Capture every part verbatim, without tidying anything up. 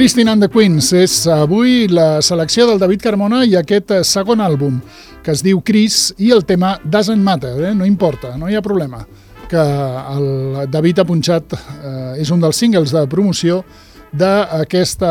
Christine and the Queens és avui la selecció del David Carmona i aquest segon àlbum que es diu Chris i el tema Doesn't Matter, eh? No importa, no hi ha problema, que el David ha punxat, eh, és un dels singles de promoció d'aquest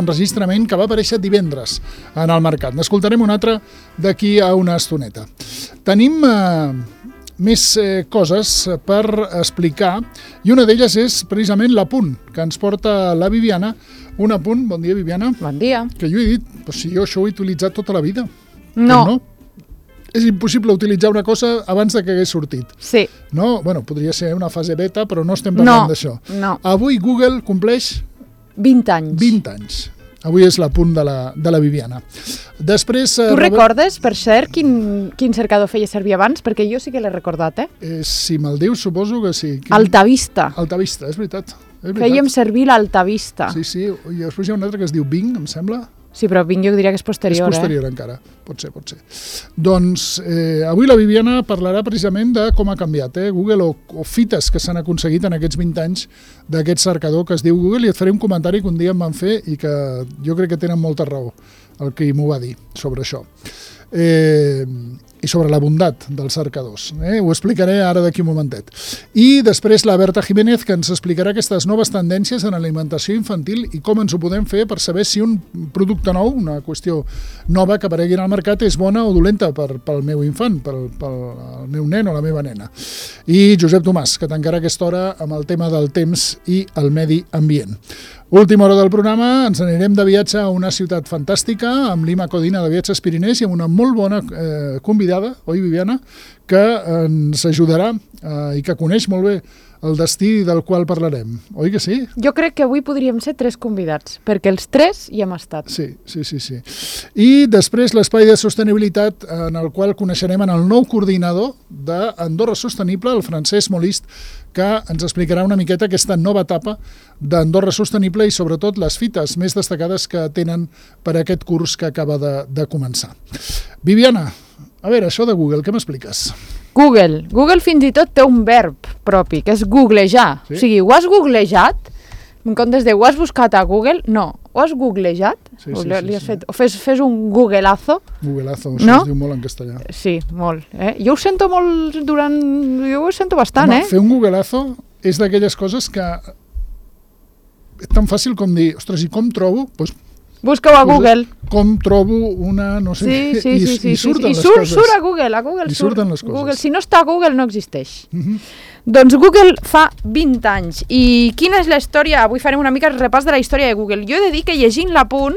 enregistrament que va aparèixer divendres en el mercat. N'escoltarem un altre d'aquí a una estoneta. Tenim eh, més eh, coses per explicar i una d'elles és precisament l'apunt que ens porta la Viviana. Un apunt, bon dia Viviana. Bon dia. Que jo he dit, però si jo això ho he utilitzat tota la vida. No. no. És impossible utilitzar una cosa abans de que hagués sortit. Sí. No? Bueno, podria ser una fase beta, però no estem parlant no, d'això. No. Avui Google compleix vint anys. vint anys. Avui és l'apunt de, la, de la Viviana. Després... Tu eh, recordes, per cert, quin, quin cercador feia servir abans? Perquè jo sí que l'he recordat, eh? eh si me'l dius, suposo que sí. Quin... Altavista. Altavista, és veritat. És veritat. Fèiem servir l'Altavista. Sí, sí. I després hi ha un altre que es diu Bing, em sembla. Sí, però Bing jo diria que és posterior, eh? És posterior eh? encara. Pot ser, pot ser. Doncs eh, avui la Viviana parlarà precisament de com ha canviat eh? Google o, o fites que s'han aconseguit en aquests vint anys d'aquest cercador que es diu Google, i et faré un comentari que un dia em van fer i que jo crec que tenen molta raó el que m'ho va dir sobre això. Eh, i sobre la bondat dels cercadors. Eh? Ho explicaré ara d'aquí un momentet. I després la Berta Jiménez, que ens explicarà aquestes noves tendències en alimentació infantil i com ens ho podem fer per saber si un producte nou, una qüestió nova que aparegui al mercat, és bona o dolenta per, pel meu infant, pel, pel meu nen o la meva nena. I Josep Tomàs, que tancarà aquesta hora amb el tema del temps i el medi ambient. Última hora del programa, ens anirem de viatge a una ciutat fantàstica, amb l'Ima Codina de Viatges Pirinès i amb una molt bona eh, convidada, oi Viviana, que ens ajudarà eh, i que coneix molt bé el destí del qual parlarem. Oi que sí? Jo crec que avui podríem ser tres convidats, perquè els tres hi hem estat. Sí, sí, sí. sí. I després l'espai de sostenibilitat en el qual coneixerem en el nou coordinador d'Andorra Sostenible, el Francesc Molist, que ens explicarà una miqueta aquesta nova etapa d'Andorra Sostenible i sobretot les fites més destacades que tenen per aquest curs que acaba de, de començar. Viviana, a veure, això de Google, què m'expliques? Google. Google fins i tot té un verb propi, que és googlejar. Sí? O sigui, ho has googlejat? En comptes de ho has buscat a Google, no. Ho has googlejat? Sí, sí, o, sí, li has sí. fet, o fes, fes un googleazo? Googleazo, això no? Es diu molt en castellà. Sí, molt. Eh? Jo ho sento molt durant... Jo ho sento bastant, Home, eh? Fer un googleazo és d'aquelles coses que és tan fàcil com dir, ostres, i com trobo? Pues, busca-ho a Google. Com trobo una, no sé, sí, sí, i, sí, sí, i surten sí, sí. les I surt, coses. surt a Google, a Google I surt. surten les coses. Google, si no està a Google no existeix. Uh-huh. Doncs Google fa vint anys. I quina és la història? Avui farem una mica el repàs de la història de Google. Jo he de dir que llegint l'apunt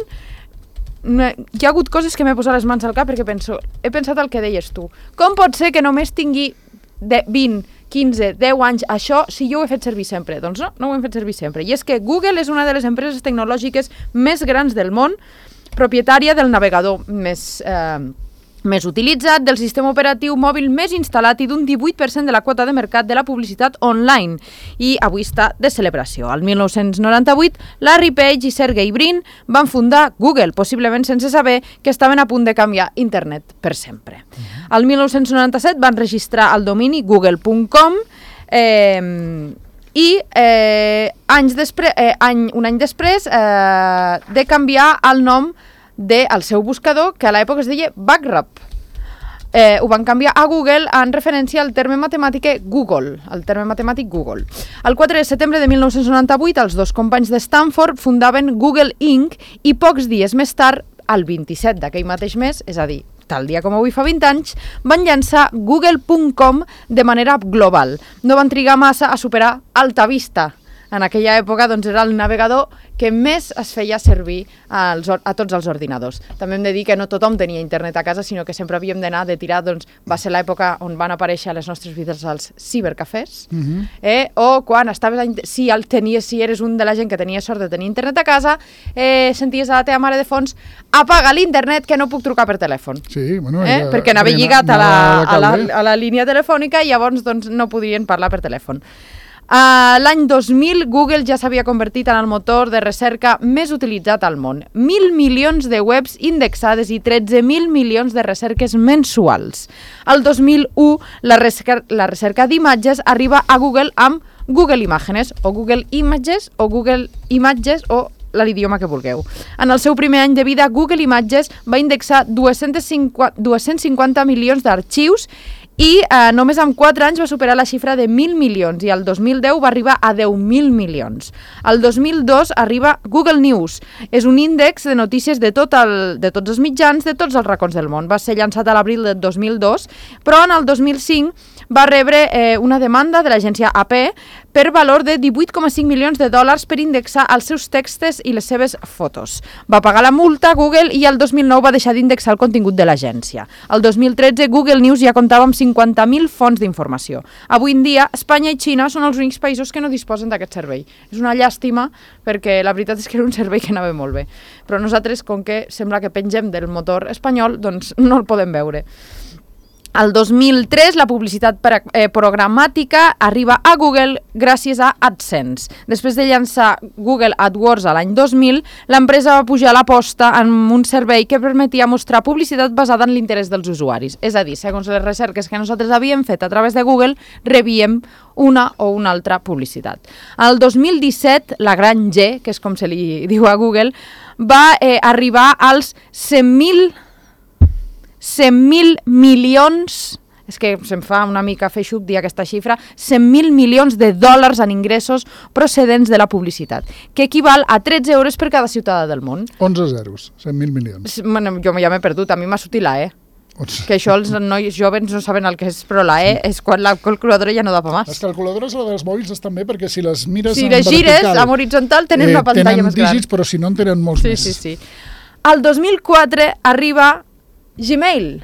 hi ha hagut coses que m'he posat les mans al cap perquè penso, he pensat el que deies tu. Com pot ser que només tingui de vint, quinze, deu anys això si jo ho he fet servir sempre? Doncs no, no ho hem fet servir sempre. I és que Google és una de les empreses tecnològiques més grans del món, propietària del navegador més, eh, més utilitzat, del sistema operatiu mòbil més instal·lat i d'un divuit per cent de la quota de mercat de la publicitat online. I avui està de celebració. El mil nou-cents noranta-vuit, Larry Page i Sergey Brin van fundar Google, possiblement sense saber que estaven a punt de canviar internet per sempre. El mil nou-cents noranta-set van registrar el domini google punt com eh, i eh, anys després, eh, any, un any després eh, de canviar el nom del seu buscador, que a l'època es deia Backrub. Eh, ho van canviar a Google en referència al terme matemàtic Google, el terme matemàtic Google. El quatre de setembre de mil nou-cents noranta-vuit, els dos companys de Stanford fundaven Google incorporated i pocs dies més tard, el vint-i-set d'aquell mateix mes, és a dir, tal dia com avui fa vint anys, van llançar google punt com de manera global. No van trigar massa a superar Altavista. En aquella època doncs, era el navegador que més es feia servir als, a tots els ordinadors. També hem de dir que no tothom tenia internet a casa, sinó que sempre havíem d'anar de tirar, doncs va ser l'època on van aparèixer a les nostres vides els cibercafès, uh-huh. eh? O quan estaves, a, si, el tenies, si eres un de la gent que tenia sort de tenir internet a casa, eh, senties a la teva mare de fons, apaga l'internet que no puc trucar per telèfon. Sí, bueno, eh? ja, perquè anava ja, lligat a la, a, la, a, a la línia telefònica i llavors doncs, no podrien parlar per telèfon. Uh, L'any dos mil, Google ja s'havia convertit en el motor de recerca més utilitzat al món. Mil milions de webs indexades i tretze mil milions de recerques mensuals. El dos mil u, la recerca, la recerca d'imatges arriba a Google amb Google Imágenes, o Google Images, o Google Images, o l'idioma que vulgueu. En el seu primer any de vida, Google Images va indexar dos-cents cinquanta milions d'arxius i eh, només en quatre anys va superar la xifra de mil milions i el dos mil deu va arribar a deu mil milions. El dos mil dos arriba Google News. És un índex de notícies de, tot el, de tots els mitjans, de tots els racons del món. Va ser llançat a l'abril del dos mil dos, però en el dos mil cinc va rebre eh, una demanda de l'agència A P per valor de divuit coma cinc milions de dòlars per indexar els seus textos i les seves fotos. Va pagar la multa a Google i el dos mil nou va deixar d'indexar el contingut de l'agència. El dos mil tretze Google News ja comptava amb cinquanta mil fonts d'informació. Avui en dia, Espanya i Xina són els únics països que no disposen d'aquest servei. És una llàstima perquè la veritat és que era un servei que anava molt bé. Però nosaltres, com que sembla que pengem del motor espanyol, doncs no el podem veure. El dos mil tres, la publicitat eh, programàtica arriba a Google gràcies a AdSense. Després de llançar Google AdWords a l'any dos mil, l'empresa va pujar l'aposta en un servei que permetia mostrar publicitat basada en l'interès dels usuaris. És a dir, segons les recerques que nosaltres havíem fet a través de Google, rebíem una o una altra publicitat. El dos mil disset, la gran G, que és com se li diu a Google, va eh, arribar als cent mil cent mil milions, és que se'm fa una mica feixuc dir aquesta xifra, cent mil milions de dòlars en ingressos procedents de la publicitat, que equival a tretze euros per cada ciutadà del món. onze zeros, cent mil milions. Bueno, jo ja m'he perdut, a mi m'ha sortit la E. Que això els nois joves no saben el que és, però la E és quan la calculadora ja no da pa més. Les calculadores a la dels mòbils estan bé perquè si les mires si en les gires en horitzontal tenen eh, una pantalla tenen més gran. Tenen dígits, però si no en tenen molts sí, més. Sí, sí, sí. El dos mil quatre arriba Gmail.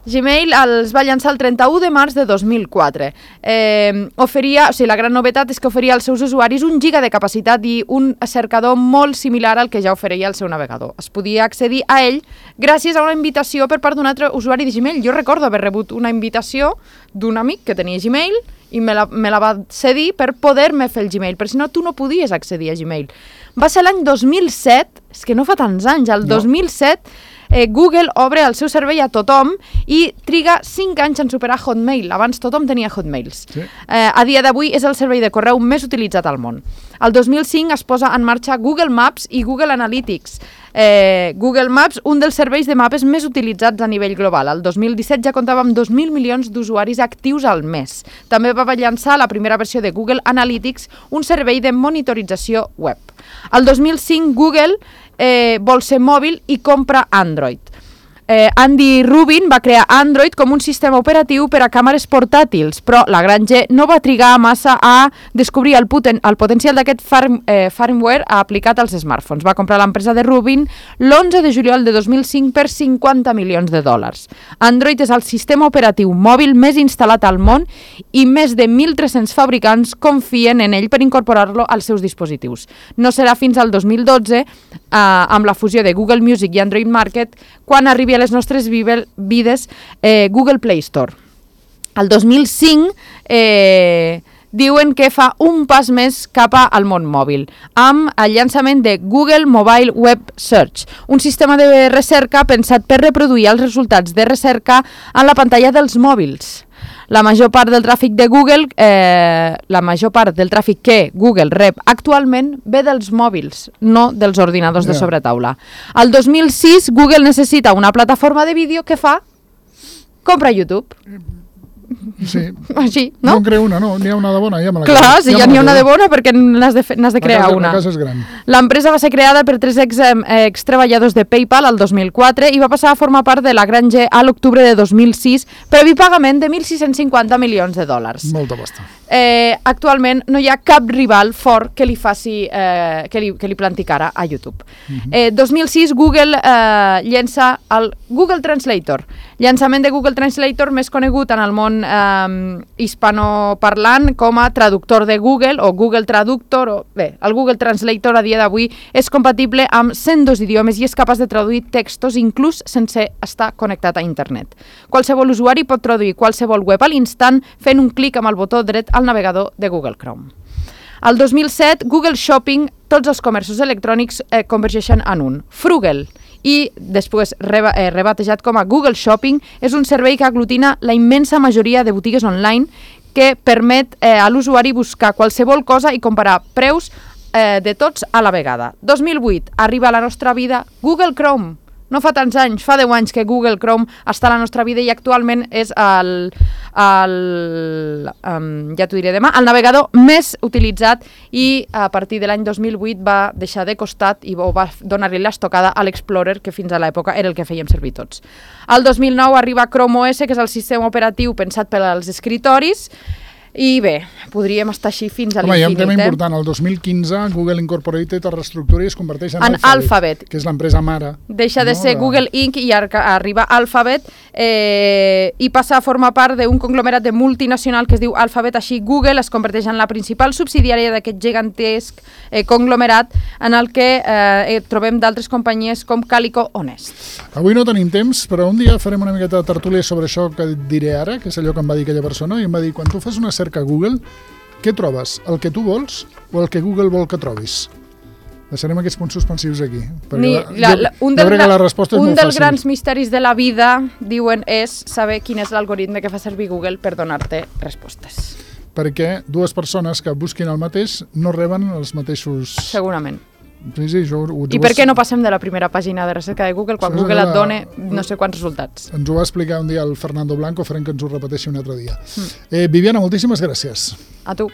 Gmail els va llançar el trenta-u de març de dos mil quatre. Eh, oferia, o sigui, la gran novetat és que oferia als seus usuaris un giga de capacitat i un cercador molt similar al que ja oferia el seu navegador. Es podia accedir a ell gràcies a una invitació per part d'un altre usuari de Gmail. Jo recordo haver rebut una invitació d'un amic que tenia Gmail i me la, me la va cedir per poder-me fer el Gmail, perquè si no tu no podies accedir a Gmail. Va ser l'any dos mil set, és que no fa tants anys, el no. dos mil set eh, Google obre el seu servei a tothom i triga cinc anys en superar Hotmail. Abans tothom tenia Hotmails. Sí. Eh, a dia d'avui és el servei de correu més utilitzat al món. El dos mil cinc es posa en marxa Google Maps i Google Analytics. Eh, Google Maps, un dels serveis de mapes més utilitzats a nivell global. El dos mil disset ja comptava amb dos mil milions d'usuaris actius al mes. També va llançar la primera versió de Google Analytics, un servei de monitorització web. El dos mil cinc Google eh, vol ser mòbil i compra Android. Eh, Andy Rubin va crear Android com un sistema operatiu per a càmeres portàtils, però la gran G no va trigar massa a descobrir el, poten el potencial d'aquest firm eh, firmware aplicat als smartphones. Va comprar l'empresa de Rubin l'onze de juliol de dos mil cinc per cinquanta milions de dòlars. Android és el sistema operatiu mòbil més instal·lat al món i més de mil tres-cents fabricants confien en ell per incorporar-lo als seus dispositius. No serà fins al dos mil dotze, eh, amb la fusió de Google Music i Android Market, quan arribi a les nostres vides eh, Google Play Store. El dos mil cinc eh, diuen que fa un pas més cap al món mòbil, amb el llançament de Google Mobile Web Search, un sistema de recerca pensat per reproduir els resultats de recerca en la pantalla dels mòbils. La major part del tràfic de Google, eh, la major part del tràfic que Google rep actualment ve dels mòbils, no dels ordinadors yeah. de sobretaula. El dos mil sis Google necessita una plataforma de vídeo que fa compra YouTube. Sí. Així, no? No en creo una, no, n'hi ha una de bona, ja me la Clar, creu. si ja, ja n'hi ha una de bona, perquè n'has de, n'has de crear casa, una. La casa és gran. L'empresa va ser creada per tres ex, eh, ex-treballadors de PayPal el dos mil quatre i va passar a formar part de la gran G a l'octubre de dos mil sis, previ pagament de mil sis-cents cinquanta milions de dòlars. Molta pasta. Eh, actualment no hi ha cap rival fort que li faci eh, que, li, que li planti cara a YouTube. Uh-huh. eh, dos mil sis Google eh, llença el Google Translator, llançament de Google Translator més conegut en el món eh, hispanoparlant com a traductor de Google o Google Traductor, o, bé, el Google Translator a dia d'avui és compatible amb cent dos idiomes i és capaç de traduir textos inclús sense estar connectat a internet. Qualsevol usuari pot traduir qualsevol web a l'instant fent un clic amb el botó dret al navegador de Google Chrome. El dos mil set, Google Shopping, tots els comerços electrònics eh, convergeixen en un. Frugal, i després reba, eh, rebatejat com a Google Shopping, és un servei que aglutina la immensa majoria de botigues online que permet eh, a l'usuari buscar qualsevol cosa i comparar preus eh, de tots a la vegada. dos mil vuit arriba a la nostra vida Google Chrome. No fa tants anys, fa deu anys que Google Chrome està a la nostra vida i actualment és el, el um, ja t'ho diré demà, el navegador més utilitzat i a partir de l'any dos mil vuit va deixar de costat i va donar-li l'estocada a l'Explorer, que fins a l'època era el que fèiem servir tots. El dos mil nou arriba Chrome O S, que és el sistema operatiu pensat per als escritoris. I bé, podríem estar així fins a l'infinit. Home, hi ha un tema eh? important. El dos mil quinze, Google Incorporated es reestructura i es converteix en, en Alphabet, Alphabet, que és l'empresa mare. Deixa de no? ser de... Google incorporated i arriba Alphabet eh, i passa a formar part d'un conglomerat de multinacional que es diu Alphabet. Així, Google es converteix en la principal subsidiària d'aquest gegantesc eh, conglomerat en el que eh, trobem d'altres companyies com Calico o Nest. Avui no tenim temps, però un dia farem una miqueta de tertúlia sobre això que diré ara, que és allò que em va dir aquella persona, i em va dir, quan tu fas una cerca a Google, què trobes? El que tu vols o el que Google vol que trobis? Deixarem aquests punts suspensius aquí. Ni, la, la, un jo, jo crec que la resposta és un molt dels fàcil. grans misteris de la vida, diuen, és saber quin és l'algoritme que fa servir Google per donar-te respostes. Perquè dues persones que busquin el mateix no reben els mateixos... Segurament. Sí, sí, jo, ho, I per què no passem de la primera pàgina de recerca de Google quan Google et dona no sé quants resultats? Ens ho va explicar un dia el Fernando Blanco, farem que ens ho repeteixi un altre dia. Mm. Eh, Viviana, moltíssimes gràcies. A tu.